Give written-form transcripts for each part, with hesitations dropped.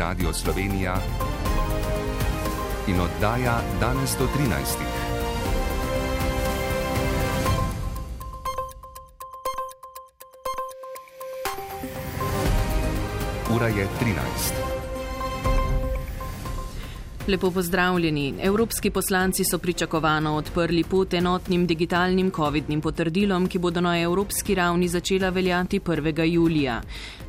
Radio Slovenija in oddaja danes do 13. Ura je 13. Lepo pozdravljeni. Evropski poslanci so pričakovano odprli pot enotnim digitalnim covidnim potrdilom, ki bodo na evropski ravni začela veljati 1. julija.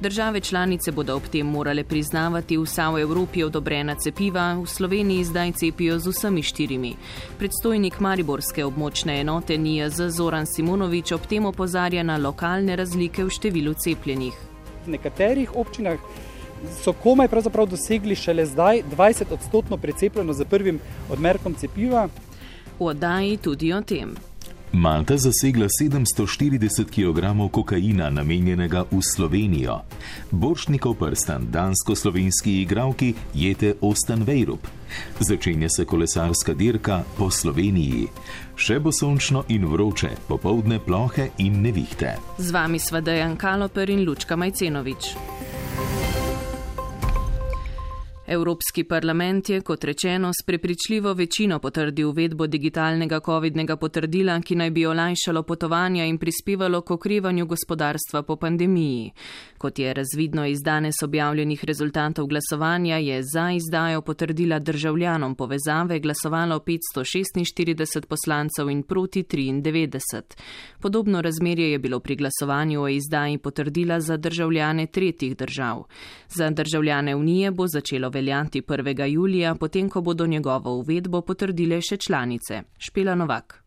Države članice bodo ob tem morale priznavati vsa v Evropi odobrena cepiva, v Sloveniji zdaj cepijo z vsemi 4. Predstojnik mariborske območne enote NIJZ Zoran Simonovič ob tem opozarja na lokalne razlike v številu cepljenih. V nekaterih občinah so komaj pravzaprav dosegli šele zdaj 20% precepljenost z prvim odmerkom cepiva. V oddaji tudi o tem. Malta zasegla 740 kg kokaina namenjenega v Slovenijo. Borštnikov prstan dansko-slovenski igralki Jete Ostanvejrup. Začenja se kolesarska dirka po Sloveniji. Še bo sončno in vroče, popoldne plohe in nevihte. Z vami sva Dejan Kaloper in Lučka Majcenovič. Evropski parlament je, kot rečeno, s prepričljivo večino potrdil uvedbo digitalnega covidnega potrdila, ki naj bi olajšalo potovanja in prispevalo k okrevanju gospodarstva po pandemiji. Kot je razvidno iz danes objavljenih rezultatov glasovanja, je za izdajo potrdila državljanom povezave glasovalo 546 poslancev in proti 93. Podobno razmerje je bilo pri glasovanju o izdaji potrdila za državljane tretjih držav. Za državljane Unije bo začelo veljati 1. julija, potem ko bodo njegovo uvedbo potrdile še članice. Špela Novak.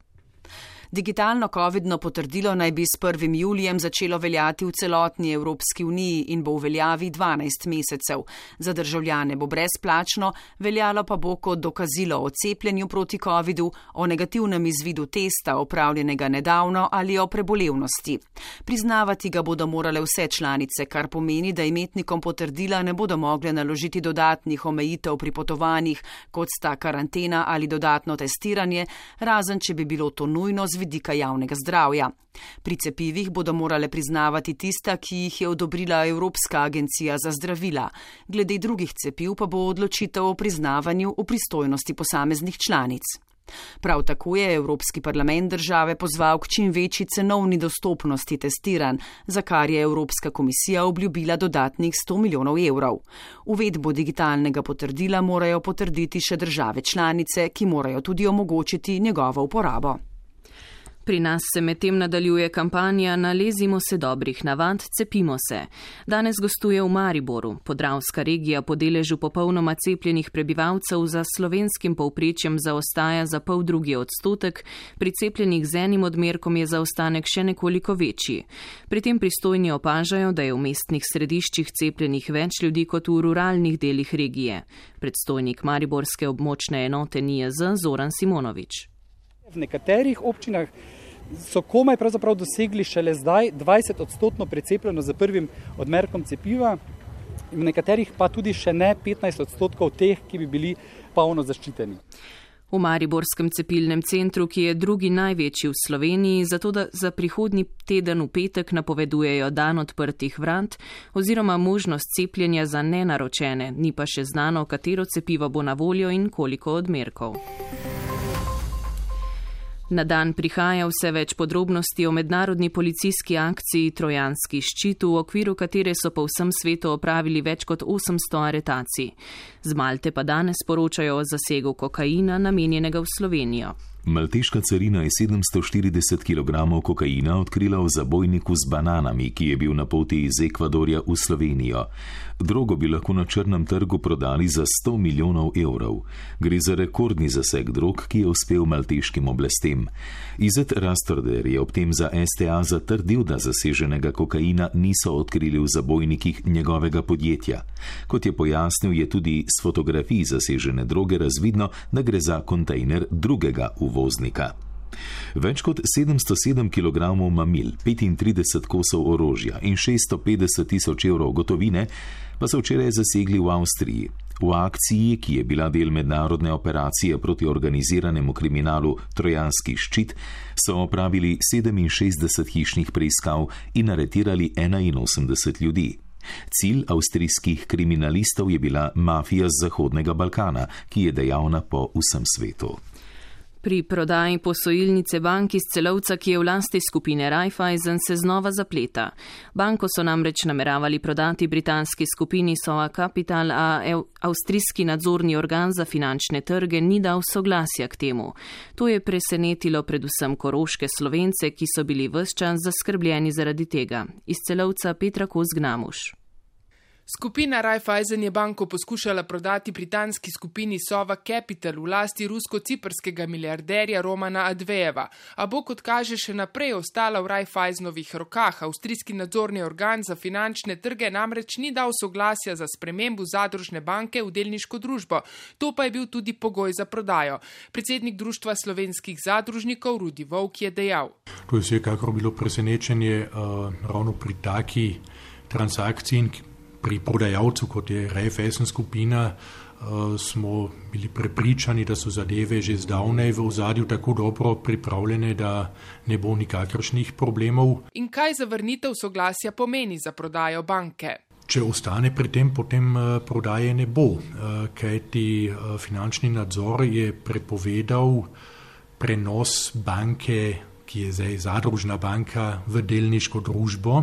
Digitalno covidno potrdilo naj bi s 1. julijem začelo veljati v celotni Evropski uniji in bo v veljavi 12 mesecev. Za državljane bo brezplačno, veljalo pa bo kot dokazilo o cepljenju proti covidu, o negativnem izvidu testa opravljenega nedavno ali o prebolevnosti. Priznavati ga bodo morale vse članice, kar pomeni, da imetnikom potrdila ne bodo mogle naložiti dodatnih omejitev pri potovanjih, kot sta karantena ali dodatno testiranje, razen če bi bilo to nujno z vidika javnega zdravja. Pri cepivih bodo morale priznavati tista, ki jih je odobrila Evropska agencija za zdravila. Glede drugih cepiv pa bo odločitev o priznavanju v pristojnosti posameznih članic. Prav tako je Evropski parlament države pozval k čim večji cenovni dostopnosti testiranj, za kar je Evropska komisija obljubila dodatnih 100 milijonov evrov. Uvedbo digitalnega potrdila morajo potrditi še države članice, ki morajo tudi omogočiti njegovo uporabo. Pri nas se medtem nadaljuje kampanja Nalezimo se dobrih navad, cepimo se. Danes gostuje v Mariboru. Podravska regija po deležu popolnoma cepljenih prebivalcev za slovenskim povprečjem zaostaja za 0,5%, pri cepljenih z enim odmerkom je zaostanek še nekoliko večji. Pri tem pristojni opažajo, da je v mestnih središčih cepljenih več ljudi kot v ruralnih delih regije. Predstojnik mariborske območne enote NIJZ Zoran Simonovič. V nekaterih občinah so komaj pravzaprav dosegli šele zdaj 20% precepljenost z prvim odmerkom cepiva, v nekaterih pa tudi še ne 15% teh, ki bi bili polno zaščiteni. V mariborskem cepilnem centru, ki je drugi največji v Sloveniji, zato da za prihodnji teden v petek napovedujejo dan odprtih vrat oziroma možnost cepljenja za nenaročene, ni pa še znano, katero cepivo bo na voljo in koliko odmerkov. Na dan prihaja vse več podrobnosti o mednarodni policijski akciji Trojanski ščit, v okviru katere so po vsem svetu opravili več kot 800 aretacij. Z Malte pa danes poročajo o zasegu kokaina namenjenega v Slovenijo. Malteška carina je 740 kg kokaina odkrila v zabojniku z bananami, ki je bil na poti iz Ekvadorja v Slovenijo. Drogo bi lahko na črnem trgu prodali za 100 milijonov evrov. Gre za rekordni zaseg drog, ki je uspel malteškim oblastem. Izet Rastorder je ob tem za STA zatrdil, da zaseženega kokaina niso odkrili v zabojnikih njegovega podjetja. Kot je pojasnil, je tudi s fotografij zasežene droge razvidno, da gre za kontejner drugega uvoznika. Več kot 707 kg mamil, 35 kosov orožja in 650 tisoč evrov gotovine pa so včeraj zasegli v Avstriji. V akciji, ki je bila del mednarodne operacije proti organiziranemu kriminalu Trojanski ščit, so opravili 67 hišnih preiskav in aretirali 81 ljudi. Cilj avstrijskih kriminalistov je bila mafija z Zahodnega Balkana, ki je dejavna po vsem svetu. Pri prodaji posojilnice bank iz Celovca, ki je v lasti skupine Raiffeisen, se znova zapleta. Banko so namreč nameravali prodati britanski skupini Sova Capital, a avstrijski nadzorni organ za finančne trge ni dal soglasja k temu. To je presenetilo predvsem koroške Slovence, ki so bili ves čas zaskrbljeni zaradi tega. Iz Celovca Petra Kos-Gnamuš. Skupina Raiffeisen je banko poskušala prodati britanski skupini Sova Capital v lasti rusko-ciprskega milijarderja Romana Advejeva, a bo, kot kaže, še naprej ostala v Raiffeisenovih rokah. Avstrijski nadzorni organ za finančne trge namreč ni dal soglasja za spremembo zadružne banke v delniško družbo. To pa je bil tudi pogoj za prodajo. Predsednik Društva slovenskih zadružnikov Rudi Volk je dejal: To je vsekakor bilo presenečenje ravno pri taki transakciji. Pri prodajalcu, kot je Raiffeisen skupina, smo bili prepričani, da so zadeve že zdavnaj v ozadju tako dobro pripravljene, da ne bo nikakršnih problemov. In kaj zavrnitev soglasja pomeni za prodajo banke? Če ostane pri tem, potem prodaje ne bo, kajti finančni nadzor je prepovedal prenos banke, ki je zdaj zadružna banka, v delniško družbo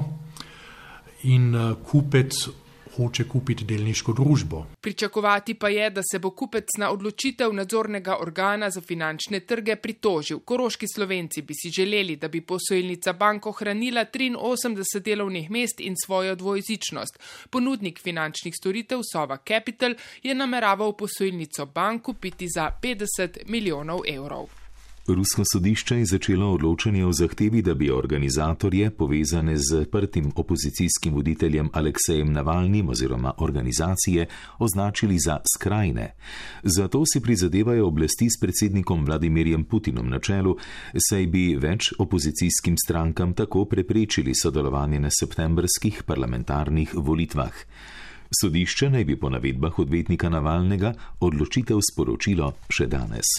in kupec hoče kupiti delniško družbo. Pričakovati pa je, da se bo kupec na odločitev nadzornega organa za finančne trge pritožil. Koroški Slovenci bi si želeli, da bi posojilnica bank ohranila 83 delovnih mest in svojo dvojezičnost. Ponudnik finančnih storitev Sova Capital je nameraval posojilnico bank kupiti za 50 milijonov evrov. Rusko sodišče je začelo odločanje o zahtevi, da bi organizatorje, povezane z zaprtim opozicijskim voditeljem Aleksejem Navalnim oziroma organizacije, označili za skrajne. Zato si prizadevajo oblasti s predsednikom Vladimirjem Putinom na čelu, saj bi več opozicijskim strankam tako preprečili sodelovanje na septembrskih parlamentarnih volitvah. Sodišče naj bi po navedbah odvetnika Navalnega odločitev sporočilo še danes.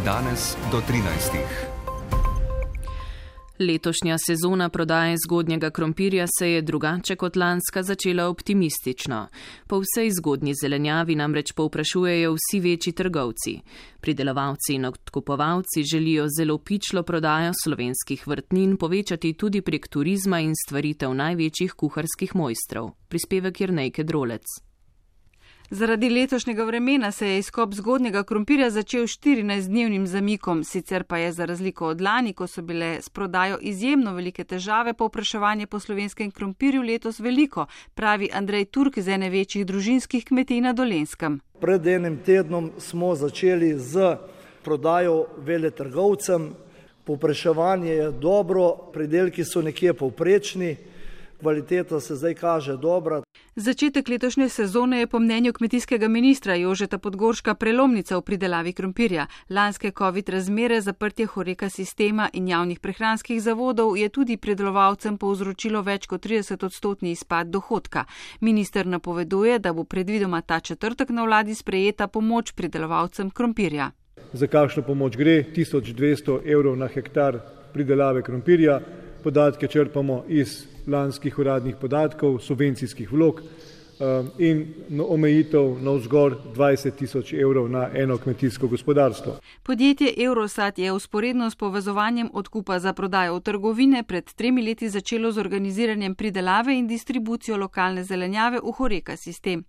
Danes do 13. Letošnja sezona prodaje zgodnjega krompirja se je drugače kot lanska začela optimistično. Po vsej zgodnji zelenjavi namreč povprašujejo vsi večji trgovci. Pridelovalci in odkupovalci želijo zelo pičlo prodajo slovenskih vrtnin povečati tudi prek turizma in stvaritev največjih kuharskih mojstrov. Prispevek Jernejke Drolec. Zaradi letošnjega vremena se je izkop zgodnjega krompirja začel 14-dnevnim zamikom, sicer pa je za razliko od lani, ko so bile s prodajo izjemno velike težave, povpraševanje po slovenskem krompirju letos veliko, pravi Andrej Turk z ene večjih družinskih kmetij na Dolenjskem. Pred enim tednom smo začeli z prodajo veletrgovcem, povpraševanje je dobro, pridelki so nekje povprečni, kvaliteta se zdaj kaže dobra. Začetek letošnje sezone je po mnenju kmetijskega ministra Jožeta Podgorška prelomnica v pridelavi krompirja. Lanske COVID razmere, zaprtje Horeca sistema in javnih prehranskih zavodov je tudi pridelovalcem povzročilo več kot 30% izpad dohodka. Minister napoveduje, da bo predvidoma ta četrtek na vladi sprejeta pomoč pridelovalcem krompirja. Za kakšno pomoč gre? 1200 evrov na hektar pridelave krompirja. Podatke črpamo iz lanskih uradnih podatkov, subvencijskih vlog in omejitev navzgor 20 000 evrov na eno kmetijsko gospodarstvo. Podjetje Eurosat je vzporedno s povezovanjem odkupa za prodajo v trgovine pred 3 leti začelo z organiziranjem pridelave in distribucijo lokalne zelenjave v Horeca sistem.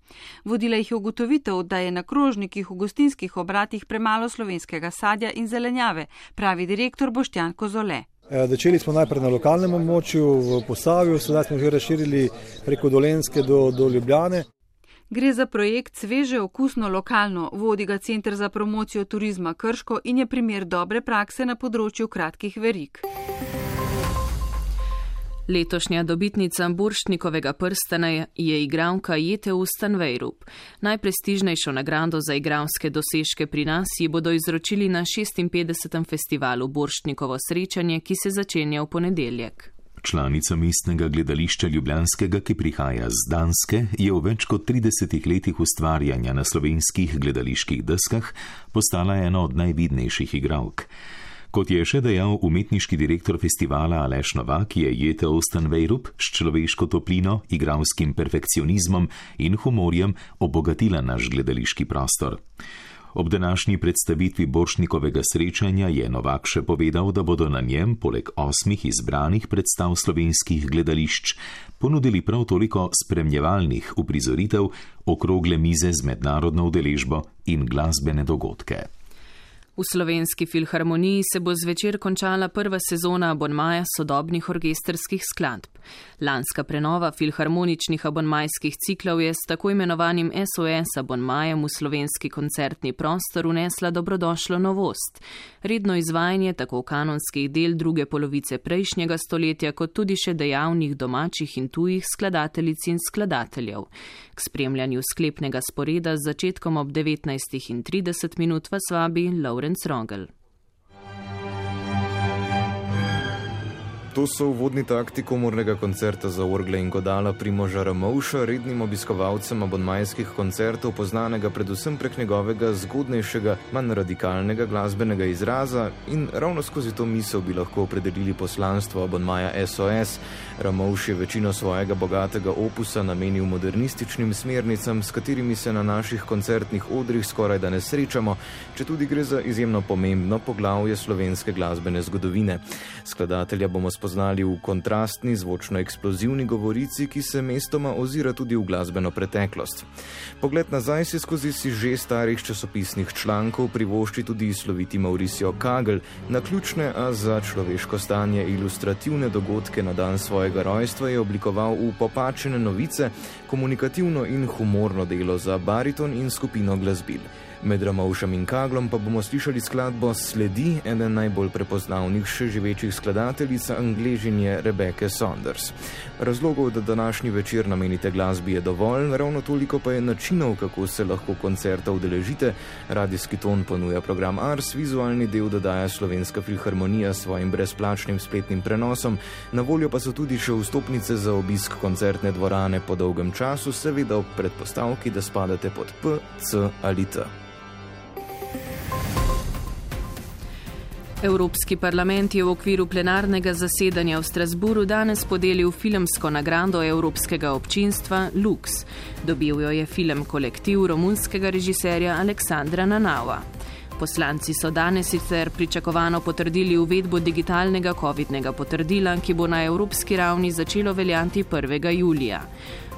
Vodila jih je ugotovitev, da je na krožnikih v gostinskih obratih premalo slovenskega sadja in zelenjave, pravi direktor Boštjan Kozole. Začeli smo najprej na lokalnem območju v Posavju, sedaj smo že razširili preko Dolenjske do Ljubljane. Gre za projekt Sveže okusno lokalno, vodi ga Center za promocijo turizma Krško in je primer dobre prakse na področju kratkih verig. Letošnja dobitnica Borštnikovega prstana je igralka Jete Ustanvejrup. Najprestižnejšo nagrado za igralske dosežke pri nas ji bodo izročili na 56. festivalu Borštnikovo srečanje, ki se začenja v ponedeljek. Članica mestnega gledališča Ljubljanskega, ki prihaja z Danske, je v več kot 30 letih ustvarjanja na slovenskih gledaliških deskah postala ena od najvidnejših igralk. Kot je še dejal umetniški direktor festivala Aleš Novak, je Jete Ostenvejrup s človeško toplino, igralskim perfekcionizmom in humorjem obogatila naš gledališki prostor. Ob današnji predstavitvi Borštnikovega srečanja je Novak še povedal, da bodo na njem, poleg 8 izbranih predstav slovenskih gledališč, ponudili prav toliko spremljevalnih uprizoritev, okrogle mize z mednarodno udeležbo in glasbene dogodke. V Slovenski filharmoniji se bo zvečer končala prva sezona abonmaja sodobnih orkestrskih skladb. Lanska prenova filharmoničnih abonmajskih ciklov je s tako imenovanim SOS abonmajem v slovenski koncertni prostor unesla dobrodošlo novost. Redno izvajanje tako kanonskih del druge polovice prejšnjega stoletja, kot tudi še dejavnih domačih in tujih skladateljic in skladateljev. K spremljanju sklepnega sporeda z začetkom ob 19:30 vas vabi Laurenc Rogel. To so uvodni takti komornega koncerta za orgle in godala Primoža Ramovša, rednim obiskovalcem abonmajskih koncertov, poznanega predvsem prek njegovega zgodnejšega, manj radikalnega glasbenega izraza, in ravno skozi to misel bi lahko opredelili poslanstvo abonmaja SOS. Ramovš je večino svojega bogatega opusa namenil modernističnim smernicam, s katerimi se na naših koncertnih odrih skoraj da ne srečamo, četudi gre za izjemno pomembno poglavje slovenske glasbene zgodovine. Skladatelja bomo spoznali v kontrastni, zvočno eksplozivni govorici, ki se mestoma ozira tudi v glasbeno preteklost. Pogled nazaj se skozi že starih časopisnih člankov privošči tudi sloviti Mauricio Kagel, naključne, a za človeško stanje ilustrativne dogodke na dan svojega rojstva je oblikoval v Popačene novice, komunikativno in humorno delo za bariton in skupino glasbil. Med Ramovšem in Kaglom pa bomo slišali skladbo Sledi, eden najbolj prepoznavnih še živečih skladateljic, Angležinje Rebecca Saunders. Razlogov, da današnji večer namenite glasbi, je dovolj, ravno toliko pa je načinov, kako se lahko koncerta udeležite. Radijski ton ponuja program Ars, vizualni del dodaja Slovenska filharmonija s svojim brezplačnim spletnim prenosom, na voljo pa so tudi še vstopnice za obisk koncertne dvorane po dolgem času, seveda ob predpostavki, da spadate pod P, C ali T. Evropski parlament je v okviru plenarnega zasedanja v Strasburu danes podelil filmsko nagrado evropskega občinstva Lux. Dobil jo je film kolektiv romunskega režiserja Aleksandra Nanava. Poslanci so danes sicer pričakovano potrdili uvedbo digitalnega covidnega potrdila, ki bo na evropski ravni začelo veljati 1. julija.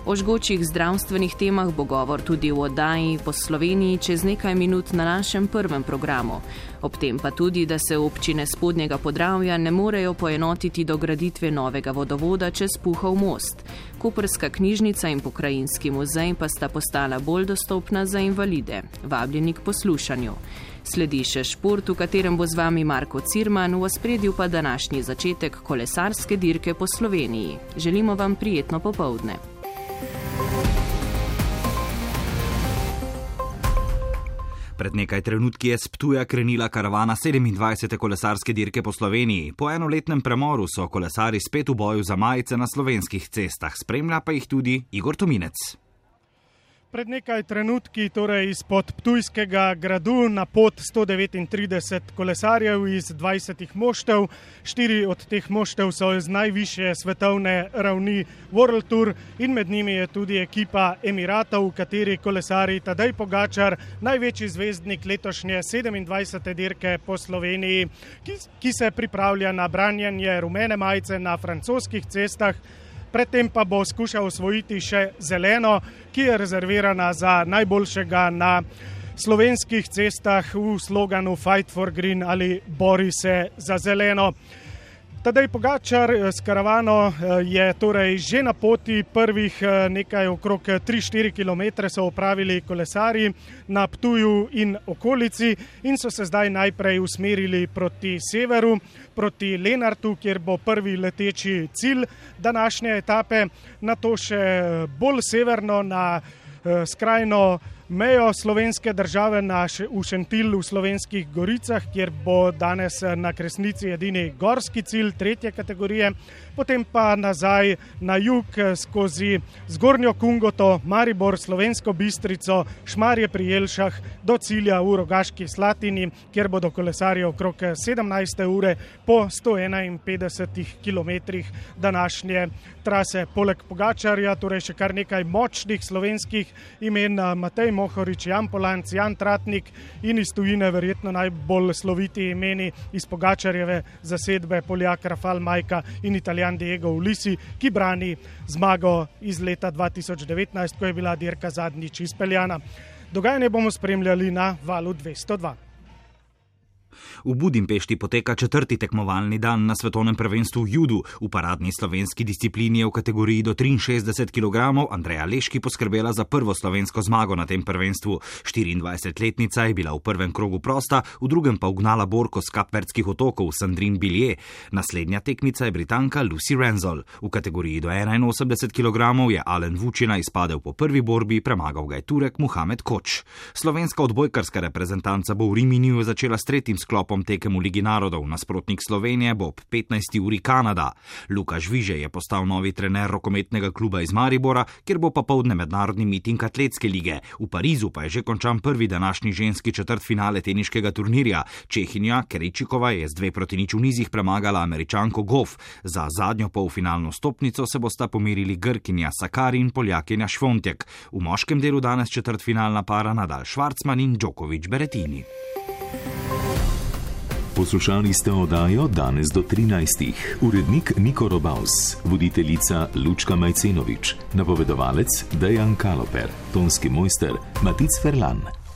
O žgočih zdravstvenih temah bo govor tudi v oddaji Po Sloveniji čez nekaj minut na našem prvem programu. Ob tem pa tudi, da se občine Spodnjega Podravja ne morejo poenotiti do graditve novega vodovoda čez Puhov most. Koprska knjižnica in pokrajinski muzej pa sta postala bolj dostopna za invalide. Vabljeni k poslušanju. Sledi še šport, v katerem bo z vami Marko Cirman, v ospredju pa današnji začetek kolesarske dirke po Sloveniji. Želimo vam prijetno popoldne. Pred nekaj trenutki je s Ptuja krenila karavana 27. kolesarske dirke po Sloveniji. Po enoletnem premoru so kolesari spet v boju za majice na slovenskih cestah. Spremlja pa jih tudi Igor Tominec. Pred nekaj trenutki, torej izpod Ptujskega gradu, na pot 139 kolesarjev iz 20 moštev. 4 od teh moštev so z najvišje svetovne ravni World Tour in med njimi je tudi ekipa Emiratov, v kateri kolesari Tadej Pogačar, največji zvezdnik letošnje 27. dirke po Sloveniji, ki se pripravlja na branjanje rumene majice na francoskih cestah. Predtem pa bo skušal osvojiti še zeleno, ki je rezervirana za najboljšega na slovenskih cestah v sloganu Fight for Green ali Bori se za zeleno. Tadej Pogačar s karavano je torej že na poti. Prvih nekaj okrog 3-4 km so opravili kolesarji na Ptuju in okolici in so se zdaj najprej usmerili proti severu, proti Lenartu, kjer bo prvi leteči cilj današnje etape, nato še bolj severno na skrajno mejo slovenske države v Šentilju v Slovenskih goricah, kjer bo danes na Kresnici edini gorski cilj 3. kategorije, potem pa nazaj na jug skozi Zgornjo Kungoto, Maribor, Slovensko Bistrico, Šmarje pri Jelšah do cilja v Rogaški Slatini, kjer bodo kolesarji okrog 17. ure po 151 kilometrih današnje trase. Poleg Pogačarja, torej še kar nekaj močnih slovenskih imen, Matej Mohorič, Jan Polanc, Jan Tratnik in iz tujine verjetno najbolj sloviti imeni iz Pogačarjeve zasedbe Poljak Rafal Majka in Italijan Diego Ulisi, ki brani zmago iz leta 2019, ko je bila dirka zadnjič izpeljana. Dogajanje bomo spremljali na Valu 202. V Budimpešti poteka 4. tekmovalni dan na svetovnem prvenstvu v judu. V paradni slovenski disciplini je v kategoriji do 63 kg Andreja Leški poskrbela za prvo slovensko zmago na tem prvenstvu. 24-letnica je bila v prvem krogu prosta, v drugem pa ugnala borko z Kapverdskih otokov Sandrine Billier. Naslednja tekmica je Britanka Lucy Renzol. V kategoriji do 81 kg je Alen Vučina izpadel po prvi borbi, premagal ga je Turek Muhamed Koč. Slovenska odbojkarska reprezentanca bo v Riminiju začela s 3. sklopom tekem v Ligi narodov. Nasprotnik Slovenije bo ob 15. uri Kanada. Luka Žviže je postal novi trener rokometnega kluba iz Maribora, kjer bo popoldne mednarodni miting atletske lige. V Parizu pa je že končan prvi današnji ženski četrtfinale teniškega turnirja. Čehinja Keričikova je z 2-0 v nizih premagala Američanko Goff. Za zadnjo polfinalno stopnico se bosta pomerili Grkinja Sakari in Poljakinja Švontek. V moškem delu danes četrtfinalna para Nadal Švarcman in Djokovic Berettini. Poslušali ste oddajo Danes do 13. Urednik Niko Robaus, voditeljica Lučka Majcenovič, napovedovalec Dejan Kaloper, tonski mojster Matic Ferlan.